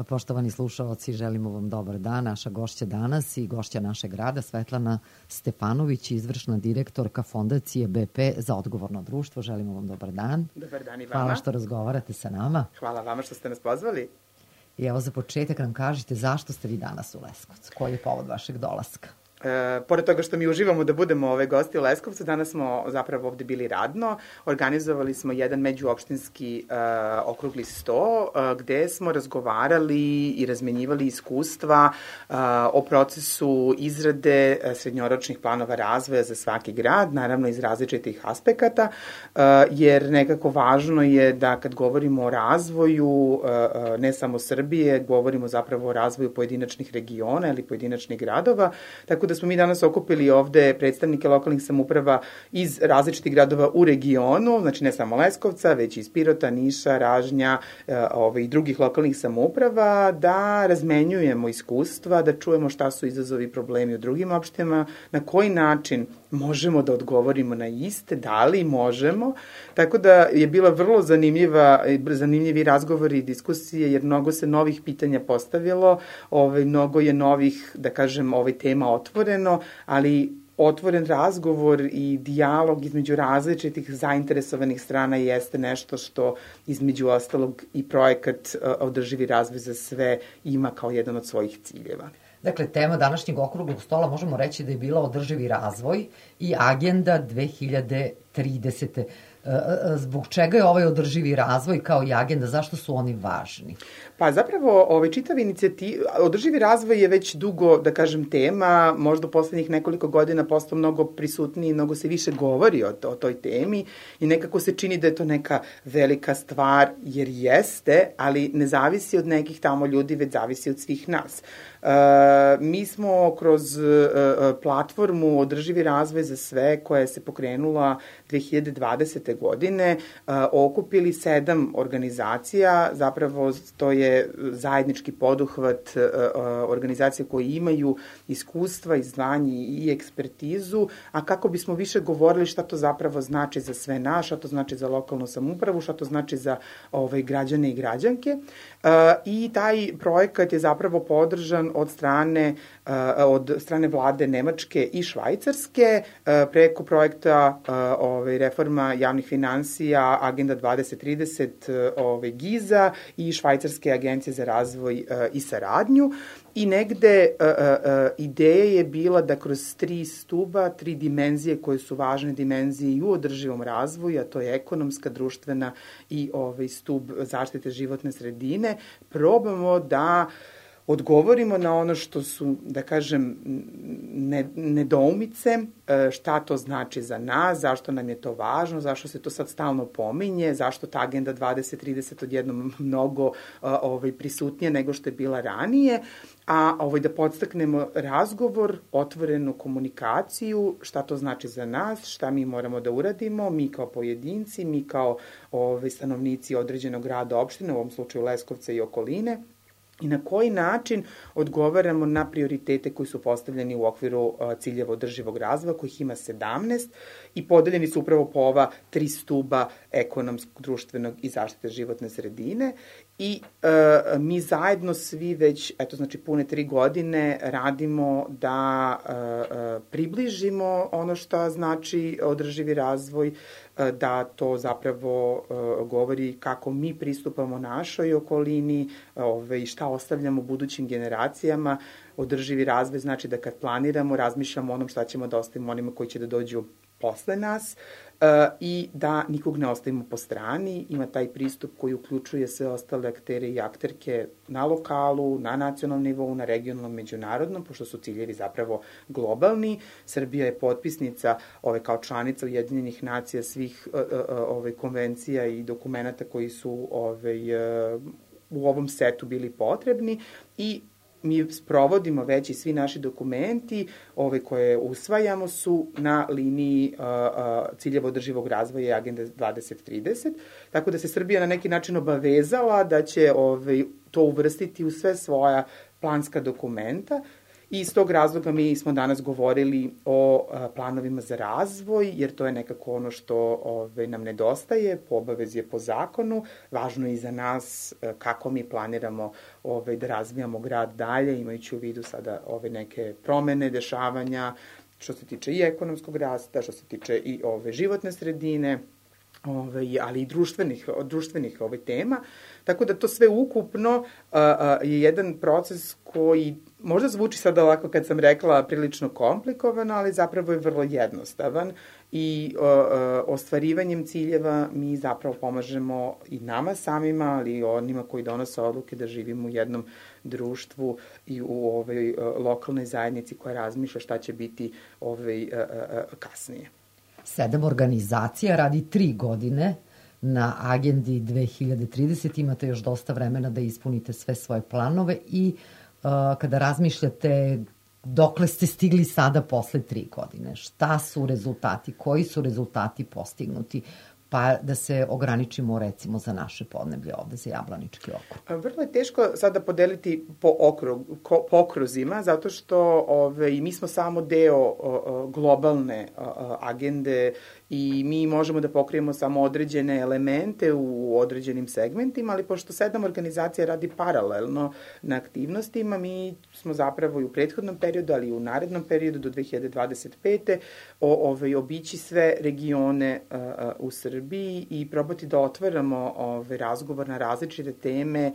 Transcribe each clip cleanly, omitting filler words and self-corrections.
Poštovani slušaoci, želimo vam dobar dan. Naša gošća danas i gošća našeg rada, Svetlana Stefanović, izvršna direktorka Fondacije BP za odgovorno društvo. Želimo vam dobar dan. Dobar dan i vama. Hvala što razgovarate sa nama. Hvala vama što ste nas pozvali. I evo za početak nam kažite zašto ste vi danas u Leskovcu? Koji je povod vašeg dolaska? Pored toga što mi uživamo da budemo gosti u Leskovcu, danas smo zapravo ovde bili radno. Organizovali smo jedan međuopštinski okrugli sto gde smo razgovarali i razmenjivali iskustva o procesu izrade srednjoročnih planova razvoja za svaki grad, naravno iz različitih aspekata, jer nekako važno je da kad govorimo o razvoju ne samo Srbije, govorimo zapravo o razvoju pojedinačnih regiona ili pojedinačnih gradova, tako da smo mi danas okupili ovde predstavnike lokalnih samouprava iz različitih gradova u regionu, znači ne samo Leskovca, već iz Pirota, Niša, Ražnja i drugih lokalnih samouprava, da razmenjujemo iskustva, da čujemo šta su izazovi i problemi u drugim opštinama, na koji način možemo da odgovorimo na iste, da li možemo. Tako da je bila vrlo zanimljivi razgovori i diskusije, jer mnogo se novih pitanja postavilo, mnogo je novih, da kažem, tema otvoreno, ali otvoren razgovor i dijalog između različitih zainteresovanih strana jeste nešto što između ostalog i projekat Održivi razvoj za sve ima kao jedan od svojih ciljeva. Dakle, tema današnjeg okruglog stola možemo reći da je bila održivi razvoj i agenda 2030. Zbog čega je ovaj održivi razvoj kao i agenda, zašto su oni važni? Pa zapravo čitav održivi razvoj je već dugo, da kažem, tema, možda u poslednjih nekoliko godina postao mnogo prisutniji, mnogo se više govori o toj temi i nekako se čini da je to neka velika stvar, jer jeste, ali ne zavisi od nekih tamo ljudi, već zavisi od svih nas. Mi smo kroz platformu Održivi razvoj za sve, koja se pokrenula 2020. godine, okupili 7 organizacija, zapravo to je zajednički poduhvat organizacija koje imaju iskustva, znanje i ekspertizu, a kako bismo više govorili šta to zapravo znači za sve nas, šta to znači za lokalnu samoupravu, šta to znači za građane i građanke. I taj projekat je zapravo podržan od strane vlade Nemačke i Švajcarske preko projekta reforma javnih finansija Agenda 2030 GIZ-a i Švajcarske agencije za razvoj i saradnju. I negde ideja je bila da kroz 3 stuba, 3 dimenzije koje su važne dimenzije i u održivom razvoju, a to je ekonomska, društvena i stub zaštite životne sredine, probamo da odgovorimo na ono što su, da kažem, nedoumice, šta to znači za nas, zašto nam je to važno, zašto se to sad stalno pominje, zašto ta agenda 2030 odjednom mnogo prisutnija nego što je bila ranije, a da podstaknemo razgovor, otvorenu komunikaciju, šta to znači za nas, šta mi moramo da uradimo, mi kao pojedinci, mi kao stanovnici određenog grada, opštine, u ovom slučaju Leskovca i okoline, i na koji način odgovaramo na prioritete koji su postavljeni u okviru ciljeva održivog razvoja, kojih ima 17 i podeljeni su upravo po ova 3 stuba ekonomskog, društvenog i zaštite životne sredine. I mi zajedno svi već, pune 3 godine radimo da približimo ono što znači održivi razvoj, da to zapravo govori kako mi pristupamo našoj okolini i šta ostavljamo budućim generacijama. Održivi razvoj znači da kad planiramo, razmišljamo o onom šta ćemo da ostavimo onima koji će da dođu posle nas i da nikog ne ostavimo po strani. Ima taj pristup koji uključuje sve ostale aktere i akterke na lokalu, na nacionalnom nivou, na regionalnom, međunarodnom, pošto su ciljevi zapravo globalni. Srbija je potpisnica kao članica Ujedinjenih nacija svih konvencija i dokumenta koji su u ovom setu bili potrebni i mi sprovodimo već i svi naši dokumenti koje usvajamo su na liniji ciljeva održivog razvoja i Agende 2030, tako da se Srbija na neki način obavezala da će to uvrstiti u sve svoja planska dokumenta I iz tog razloga mi smo danas govorili o planovima za razvoj, jer to je nekako ono što nam nedostaje, po obavezi je po zakonu. Važno je i za nas kako mi planiramo da razvijamo grad dalje, imajući u vidu sada neke promene, dešavanja, što se tiče i ekonomskog rasta, što se tiče i životne sredine, ali i društvenih tema. Tako da to sve ukupno je jedan proces koji možda zvuči sad ovako kad sam rekla prilično komplikovan, ali zapravo je vrlo jednostavan i ostvarivanjem ciljeva mi zapravo pomažemo i nama samima, ali i onima koji donose odluke da živimo u jednom društvu i u ovoj lokalnoj zajednici koja razmišlja šta će biti kasnije. 7 organizacija radi 3 godine na agendi 2030. Imate još dosta vremena da ispunite sve svoje planove i kada razmišljate dokle ste stigli sada posle 3 godine, šta su rezultati, koji su rezultati postignuti, pa da se ograničimo recimo za naše podneblje ovde za Jablanički okrug. Vrlo je teško sada podeliti po okruzima, zato što mi smo samo deo globalne agende i mi možemo da pokrijemo samo određene elemente u određenim segmentima, ali pošto 7 organizacija radi paralelno na aktivnostima, mi smo zapravo i u prethodnom periodu, ali i u narednom periodu do 2025. Obići sve regione u Srbiji i probati da otvaramo razgovor na različite teme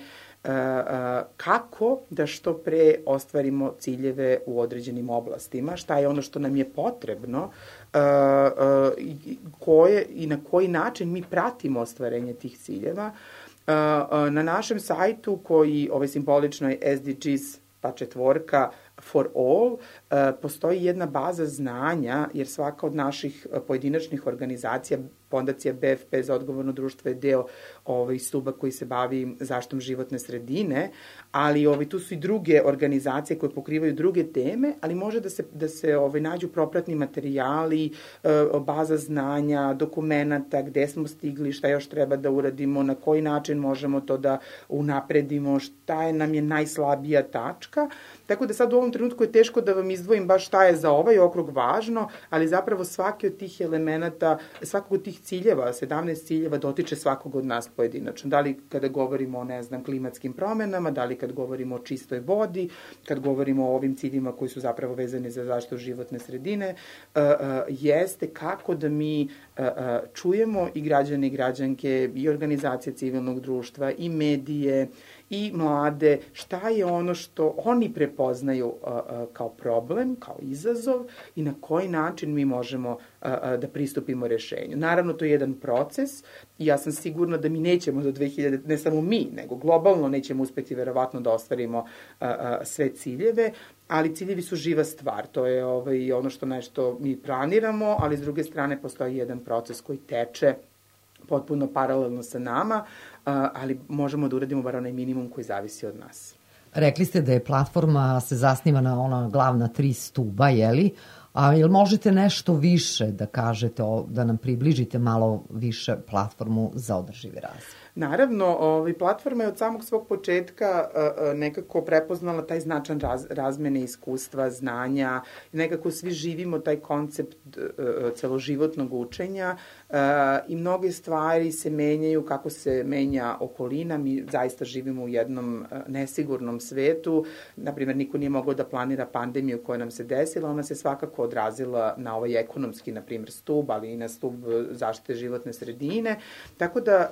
kako da što pre ostvarimo ciljeve u određenim oblastima, šta je ono što nam je potrebno i na koji način mi pratimo ostvarenje tih ciljeva. Na našem sajtu koji simbolično je SDGs pa 4 for all, postoji jedna baza znanja, jer svaka od naših pojedinačnih organizacija, Fondacija BFP za odgovorno društvo je deo stuba koji se bavi zaštitom životne sredine, ali tu su i druge organizacije koje pokrivaju druge teme, ali može da se nađu propratni materijali, baza znanja, dokumenata, gde smo stigli, šta još treba da uradimo, na koji način možemo to da unapredimo, šta nam je najslabija tačka. Tako da sad u ovom trenutku je teško da vam izdvojim baš šta je za ovaj okrug važno, ali zapravo svaki od tih elemenata, svakog od tih ciljeva, 17 ciljeva dotiče svakog od nas pojedinačno. Da li kada govorimo o, klimatskim promenama, da li kad govorimo o čistoj vodi, kad govorimo o ovim ciljima koji su zapravo vezani za zaštitu životne sredine, jeste kako da mi čujemo i građane i građanke i organizacije civilnog društva i medije i mlade, šta je ono što oni prepoznaju kao problem, kao izazov i na koji način mi možemo da pristupimo rešenju. Naravno, to je jedan proces i ja sam sigurna da mi nećemo do 2000, ne samo mi, nego globalno nećemo uspeti verovatno da ostvarimo sve ciljeve, ali ciljevi su živa stvar. To je ono što nešto mi planiramo, ali s druge strane postoji jedan proces koji teče potpuno paralelno sa nama, ali možemo da uradimo bar onaj minimum koji zavisi od nas. Rekli ste da je platforma se zasniva na ona glavna 3 stuba, jeli? A jel možete nešto više da kažete, da nam približite malo više platformu za održivi razvoj? Naravno, platforma je od samog svog početka nekako prepoznala taj značan razmene iskustva, znanja, nekako svi živimo taj koncept celoživotnog učenja i mnoge stvari se menjaju kako se menja okolina. Mi zaista živimo u jednom nesigurnom svetu. Naprimjer, niko nije mogao da planira pandemiju koja nam se desila, ona se svakako odrazila na ovaj ekonomski, naprimjer, stub, ali i na stub zaštite životne sredine. Tako da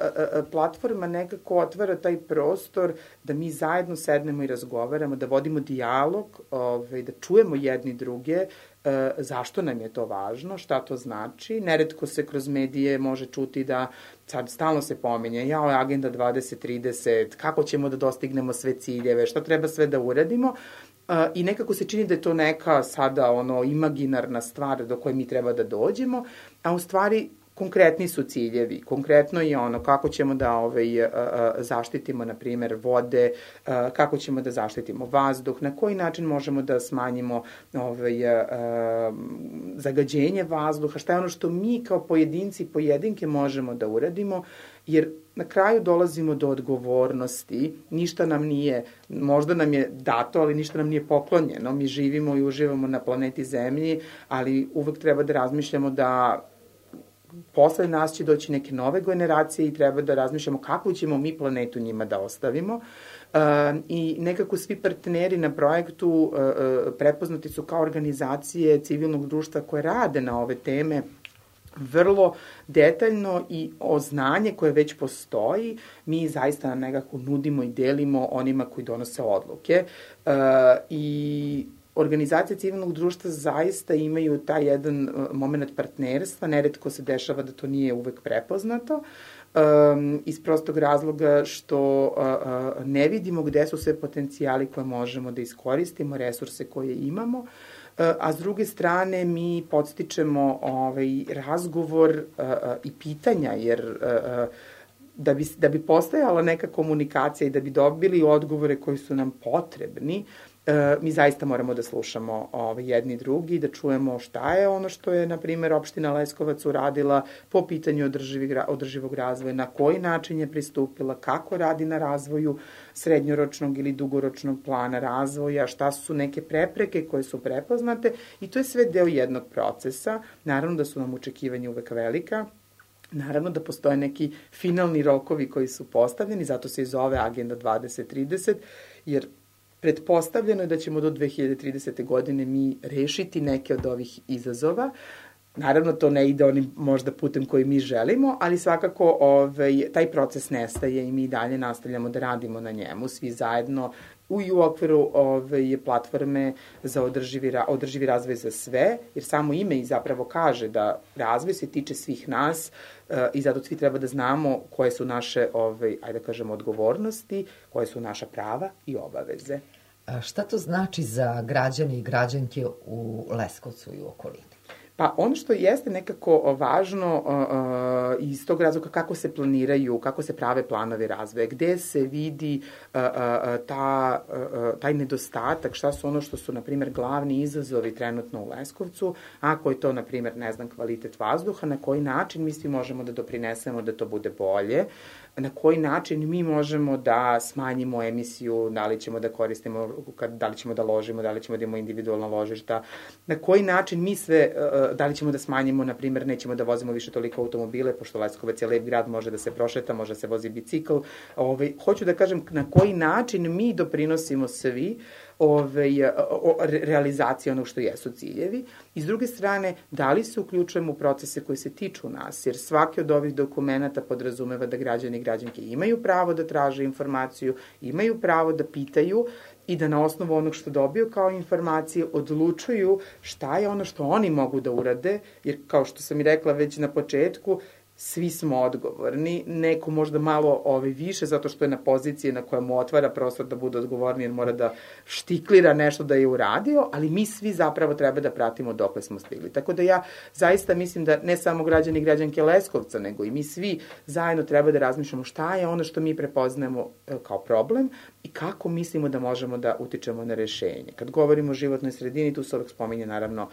platforma nekako otvara taj prostor da mi zajedno sednemo i razgovaramo, da vodimo dijalog, da čujemo jedni druge, zašto nam je to važno, šta to znači. Neretko se kroz medije može čuti da sad stalno se pominje, agenda 2030, kako ćemo da dostignemo sve ciljeve, šta treba sve da uradimo. I nekako se čini da je to neka sada imaginarna stvar do koje mi treba da dođemo, a u stvari konkretni su ciljevi. Konkretno je ono kako ćemo da zaštitimo, na primer, vode, kako ćemo da zaštitimo vazduh, na koji način možemo da smanjimo zagađenje vazduha, šta je ono što mi kao pojedinci i pojedinke možemo da uradimo, jer na kraju dolazimo do odgovornosti, ništa nam nije, možda nam je dato, ali ništa nam nije poklonjeno, mi živimo i uživamo na planeti Zemlji, ali uvek treba da razmišljamo da posle nas će doći neke nove generacije i treba da razmišljamo kako ćemo mi planetu njima da ostavimo. I nekako svi partneri na projektu prepoznati su kao organizacije civilnog društva koje rade na ove teme vrlo detaljno i o znanje koje već postoji, mi zaista nekako nudimo i delimo onima koji donose odluke. I organizacije civilnog društva zaista imaju taj jedan moment partnerstva, neretko se dešava da to nije uvek prepoznato, iz prostog razloga što ne vidimo gde su sve potencijali koje možemo da iskoristimo, resurse koje imamo, a s druge strane mi podstičemo razgovor i pitanja, jer da bi postojala neka komunikacija i da bi dobili odgovore koji su nam potrebni, mi zaista moramo da slušamo jedni drugi, da čujemo šta je ono što je, na primjer, opština Leskovac uradila po pitanju održivog razvoja, na koji način je pristupila, kako radi na razvoju srednjoročnog ili dugoročnog plana razvoja, šta su neke prepreke koje su prepoznate, i to je sve deo jednog procesa. Naravno da su nam očekivanja uvek velika, naravno da postoje neki finalni rokovi koji su postavljeni, zato se i zove Agenda 2030, jer pretpostavljeno je da ćemo do 2030. godine mi rešiti neke od ovih izazova. Naravno, to ne ide onim možda putem koji mi želimo, ali svakako taj proces nestaje i mi dalje nastavljamo da radimo na njemu, svi zajedno i u okviru platforme za održivi razvoj za sve, jer samo ime i zapravo kaže da razvoj se tiče svih nas i zato svi treba da znamo koje su naše, ajde da kažemo, odgovornosti, koje su naša prava i obaveze. Šta to znači za građane i građanke u Leskovcu i u okolini? Pa ono što jeste nekako važno iz tog razloga kako se planiraju, kako se prave planovi razvoja, gde se vidi taj nedostatak, šta su ono što su, na primjer, glavni izazovi trenutno u Leskovcu, ako je to, na primjer, ne znam, kvalitet vazduha, na koji način mi svi možemo da doprinesemo da to bude bolje, na koji način mi možemo da smanjimo emisiju, da li ćemo da koristimo, da li ćemo da ložimo, da li ćemo da imamo individualna ložišta, na koji način mi sve, da li ćemo da smanjimo, na primjer, nećemo da vozimo više toliko automobile, pošto Leskovac je lep grad, može da se prošeta, može da se vozi bicikl. Hoću da kažem na koji način mi doprinosimo svi realizacije onog što jesu ciljevi. I s druge strane, da li se uključujemo u procese koji se tiču nas, jer svaki od ovih dokumenta podrazumeva da građani i građanke imaju pravo da traže informaciju, imaju pravo da pitaju i da na osnovu onog što dobiju kao informacije odlučuju šta je ono što oni mogu da urade, jer kao što sam i rekla već na početku, svi smo odgovorni, neko možda malo više zato što je na poziciji na koja mu otvara prostor da bude odgovorni jer mora da štiklira nešto da je uradio, ali mi svi zapravo treba da pratimo dokle smo stigli. Tako da ja zaista mislim da ne samo građani i građanke Leskovca, nego i mi svi zajedno treba da razmišljamo šta je ono što mi prepoznajemo kao problem i kako mislimo da možemo da utičemo na rešenje. Kad govorimo o životnoj sredini, tu se uvek spominje naravno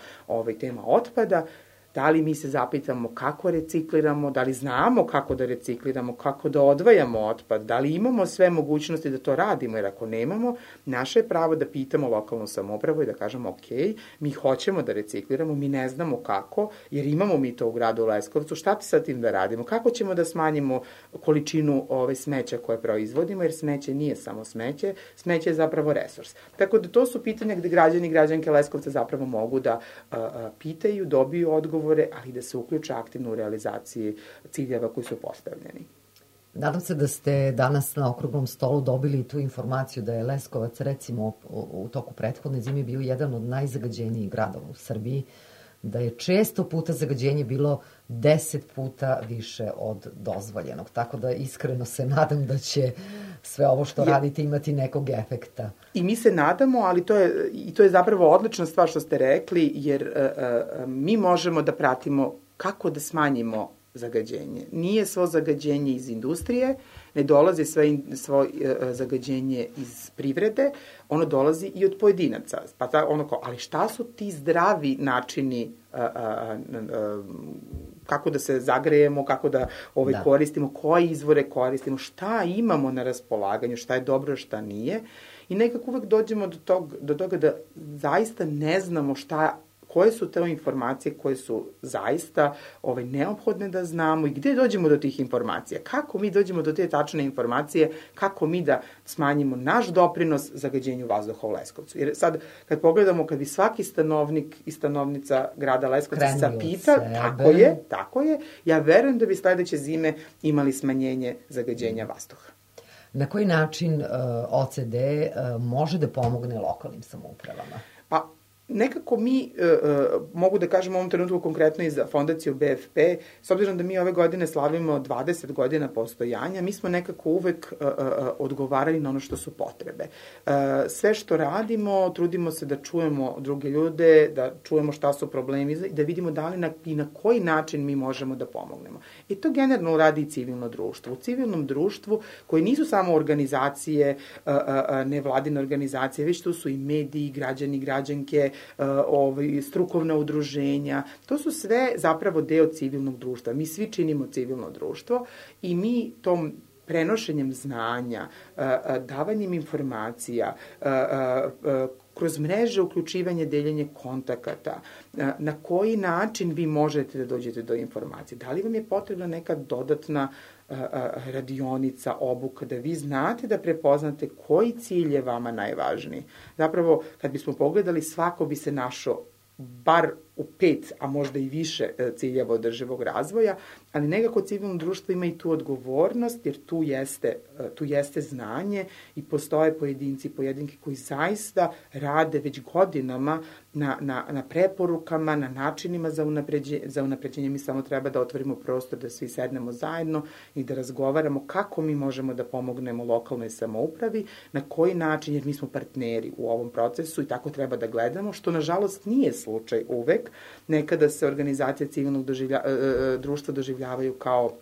tema otpada. Da li mi se zapitamo kako recikliramo, da li znamo kako da recikliramo, kako da odvajamo otpad, da li imamo sve mogućnosti da to radimo, jer ako nemamo, naše je pravo da pitamo lokalnu samoupravu i da kažemo ok, mi hoćemo da recikliramo, mi ne znamo kako, jer imamo mi to u gradu Leskovcu, šta ti sa tim da radimo, kako ćemo da smanjimo količinu smeća koje proizvodimo, jer smeće nije samo smeće, smeće je zapravo resurs. Tako da to su pitanja gde građani i građanke Leskovca zapravo mogu da pitaju, dobiju odgovor, ali da se uključe aktivno u realizaciji ciljeva koji su postavljeni. Nadam se da ste danas na okruglom stolu dobili tu informaciju da je Leskovac, recimo, u toku prethodne zime bio jedan od najzagađenijih gradova u Srbiji, da je često puta zagađenje bilo 10 puta više od dozvoljenog. Tako da iskreno se nadam da će sve ovo što radite imati nekog efekta. I mi se nadamo, ali to je zapravo odlična stvar što ste rekli, jer mi možemo da pratimo kako da smanjimo zagađenje. Nije svo zagađenje iz industrije, ne dolazi svo zagađenje iz privrede, ono dolazi i od pojedinaca. Ali šta su ti zdravi načini kako da se zagrejemo, kako da koristimo, koje izvore koristimo, šta imamo na raspolaganju, šta je dobro, šta nije. I nekako uvek dođemo do toga da zaista ne znamo koje su te informacije koje su zaista neophodne da znamo i gde dođemo do tih informacija. Kako mi dođemo do te tačne informacije, kako mi da smanjimo naš doprinos zagađenju vazduha u Leskovcu. Jer sad, kad pogledamo, kad bi svaki stanovnik i stanovnica grada Leskovca zapita, tako je, ja verujem da bi sledeće zime imali smanjenje zagađenja vazduha. Na koji način OCD može da pomogne lokalnim samoupravama? Pa, nekako mi, mogu da kažem u ovom trenutku konkretno i za fondaciju BFP, s obzirom da mi ove godine slavimo 20 godina postojanja, mi smo nekako uvek odgovarali na ono što su potrebe. Sve što radimo, trudimo se da čujemo druge ljude, da čujemo šta su problemi i da vidimo da li i na koji način mi možemo da pomognemo. I to generalno radi i civilno društvo. U civilnom društvu, koji nisu samo organizacije, nevladine organizacije, već tu su i mediji, građani, građanke, strukovna udruženja. To su sve zapravo deo civilnog društva. Mi svi činimo civilno društvo i mi tom prenošenjem znanja, davanjem informacija, kroz mreže uključivanje, deljenje kontakata, na koji način vi možete da dođete do informacije. Da li vam je potrebna neka dodatna radionica, obuka, da vi znate da prepoznate koji cilj je vama najvažniji. Zapravo, kad bismo pogledali, svako bi se našao bar u 5, a možda i više ciljeva održivog razvoja, ali nekako civilno društvo ima i tu odgovornost, jer tu jeste znanje i postoje pojedinci i pojedinke koji zaista rade već godinama na preporukama, na načinima za unapređenje. Mi samo treba da otvorimo prostor, da svi sednemo zajedno i da razgovaramo kako mi možemo da pomognemo lokalnoj samoupravi, na koji način, jer mi smo partneri u ovom procesu i tako treba da gledamo, što nažalost nije slučaj uvek. Nekada se organizacije civilnog društva doživljavaju kao,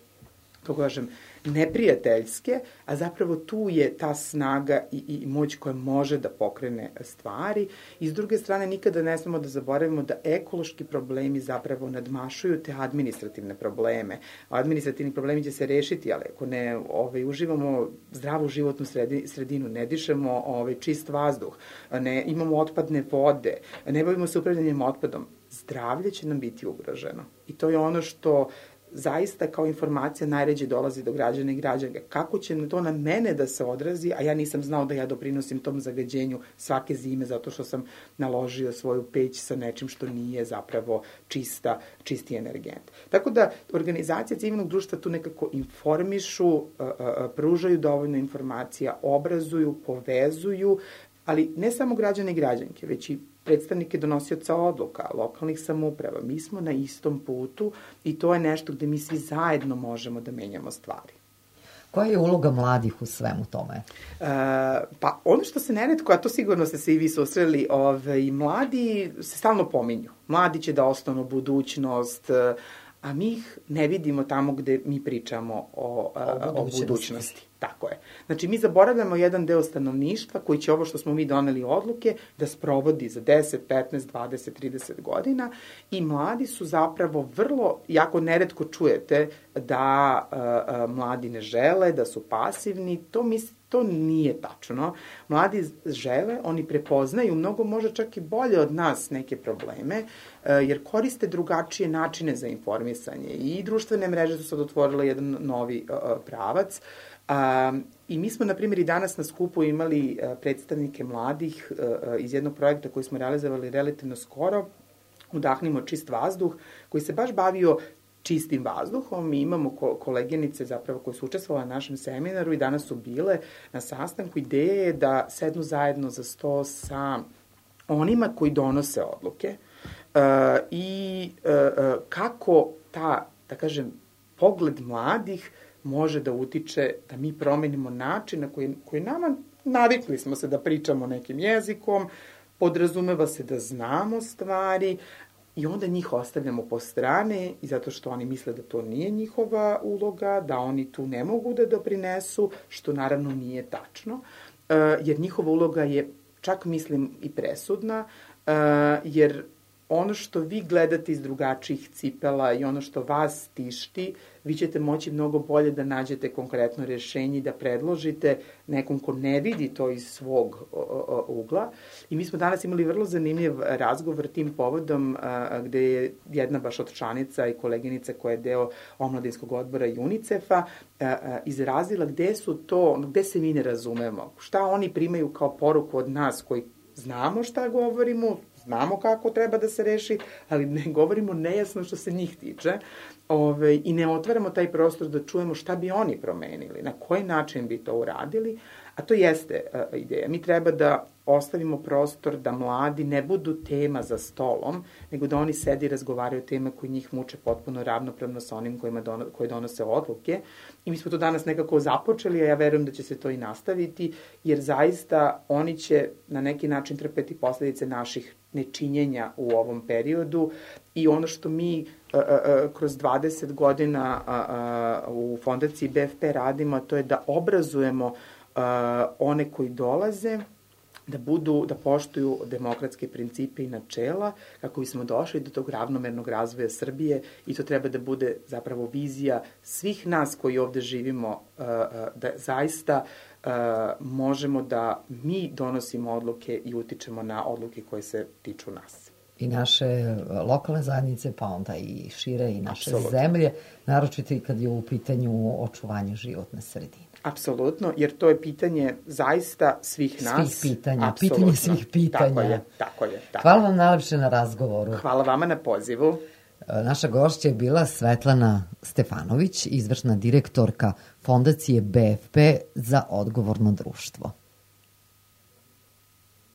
kako kažem, neprijateljske, a zapravo tu je ta snaga i moć koja može da pokrene stvari. I s druge strane, nikada ne smemo da zaboravimo da ekološki problemi zapravo nadmašuju te administrativne probleme. Administrativni problemi će se rešiti, ali ako ne uživamo zdravu životnu sredinu, ne dišemo čist vazduh, ne imamo otpadne vode, ne bavimo se upravljanjem otpadom, zdravlje će nam biti ugroženo. I to je ono što zaista kao informacija najređe dolazi do građana i građanke. Kako će to na mene da se odrazi, a ja nisam znao da ja doprinosim tom zagađenju svake zime zato što sam naložio svoju peć sa nečim što nije zapravo čisti energent. Tako da organizacije civilnog društva tu nekako informišu, pružaju dovoljno informacija, obrazuju, povezuju, ali ne samo građane i građanke, već i predstavnike donosioca odluka, lokalnih samouprava. Mi smo na istom putu i to je nešto gde mi svi zajedno možemo da menjamo stvari. Koja je uloga mladih u svemu tome? Pa ono što se neretko, a to sigurno ste se i vi susreli, mladi se stalno pominju. Mladi će da ostanu budućnost, a mi ih ne vidimo tamo gde mi pričamo o budućnosti. Tako je. Znači, mi zaboravljamo jedan deo stanovništva koji će ovo što smo mi doneli odluke da sprovodi za 10, 15, 20, 30 godina i mladi su zapravo vrlo, jako neretko čujete da mladi ne žele, da su pasivni, to nije tačno. Mladi žele, oni prepoznaju mnogo, možda čak i bolje od nas neke probleme, jer koriste drugačije načine za informisanje i društvene mreže su sad otvorile jedan novi pravac. I mi smo, na primjer, i danas na skupu imali predstavnike mladih iz jednog projekta koji smo realizovali relativno skoro, Udahnimo čist vazduh, koji se baš bavio čistim vazduhom. Mi imamo koleginice zapravo koje su učestvovale na našem seminaru i danas su bile na sastanku. Ideja je da sednu zajedno za sto sa onima koji donose odluke i kako da kažem, pogled mladih može da utiče da mi promenimo način na koji nama, navikli smo se da pričamo nekim jezikom, podrazumeva se da znamo stvari, i onda njih ostavljamo po strane i zato što oni misle da to nije njihova uloga, da oni tu ne mogu da doprinesu, što naravno nije tačno, jer njihova uloga je, čak mislim, i presudna, jer ono što vi gledate iz drugačijih cipela i ono što vas tišti, vi ćete moći mnogo bolje da nađete konkretno rješenje i da predložite nekom ko ne vidi to iz svog ugla. I mi smo danas imali vrlo zanimljiv razgovor tim povodom gde je jedna baš od članica i koleginica koja je deo omladinskog odbora UNICEF-a izrazila gde se mi ne razumemo, šta oni primaju kao poruku od nas koji znamo šta govorimo, znamo kako treba da se reši, ali ne govorimo nejasno što se njih tiče i ne otvaramo taj prostor da čujemo šta bi oni promenili, na koji način bi to uradili, a to jeste ideja. Mi treba da ostavimo prostor da mladi ne budu tema za stolom, nego da oni sedi i razgovaraju o teme koji njih muče potpuno ravnopravno sa onim koji donose odluke. I mi smo to danas nekako započeli, a ja verujem da će se to i nastaviti, jer zaista oni će na neki način trpeti posledice naših nečinjenja u ovom periodu i ono što mi kroz 20 godina u fondaciji BFP radimo, to je da obrazujemo one koji dolaze, da poštuju demokratske principe i načela kako bismo došli do tog ravnomernog razvoja Srbije i to treba da bude zapravo vizija svih nas koji ovde živimo, da zaista možemo da mi donosimo odluke i utičemo na odluke koje se tiču nas. I naše lokalne zajednice, pa onda i šire i naše zemlje, naročito i kad je u pitanju očuvanje životne sredine. Apsolutno, jer to je pitanje zaista svih nas. Svih pitanja, pitanje svih pitanja. Tako je. Hvala vam najlepše na razgovoru. Hvala vama na pozivu. Naša gošća je bila Svetlana Stefanović, izvršna direktorka Fondacije BFP za odgovorno društvo.